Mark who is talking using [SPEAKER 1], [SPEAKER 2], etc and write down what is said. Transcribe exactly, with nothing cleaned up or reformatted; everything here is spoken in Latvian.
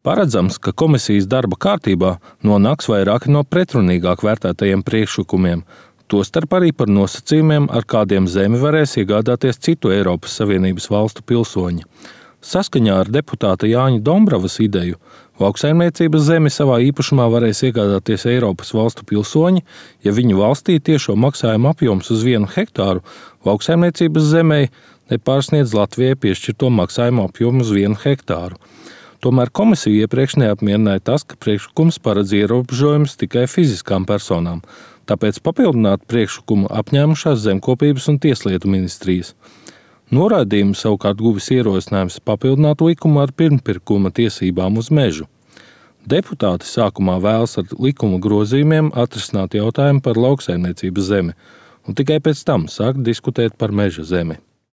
[SPEAKER 1] Paredzams, ka komisijas darba kārtībā nonāks vairāki no pretrunīgāk vērtētajiem priekšlikumiem, tostarp arī par nosacījumiem, ar kādiem zemi varēs iegādāties citu Eiropas Savienības valstu pilsoņi. Saskaņā ar deputāta Jāņa Dombravas ideju, lauksaimniecības zemi savā īpašumā varēs iegādāties Eiropas valstu pilsoņi, ja viņu valstī tiešo maksājumu apjoms uz vienu hektāru lauksaimniecības zemei nepārsniedz Latvijai piešķirto maksājumu apjomu uz vienu hektāru. Tomēr komisija iepriekš neapmierināja tas, ka priekšlikums paredz ierobežojumus tikai fiziskām personām, tāpēc papildināt priekšlikumu apņēmušās Zemkopības un Tieslietu ministrijas. Noraidījumu savukārt guvis ierosinājums papildināt likumu ar pirmpirkuma tiesībām uz mežu. Deputāti sākumā vēlas ar likuma grozījumiem atrisināt jautājumu par lauksaimniecības zemi un tikai pēc tam sākt diskutēt par meža zemi.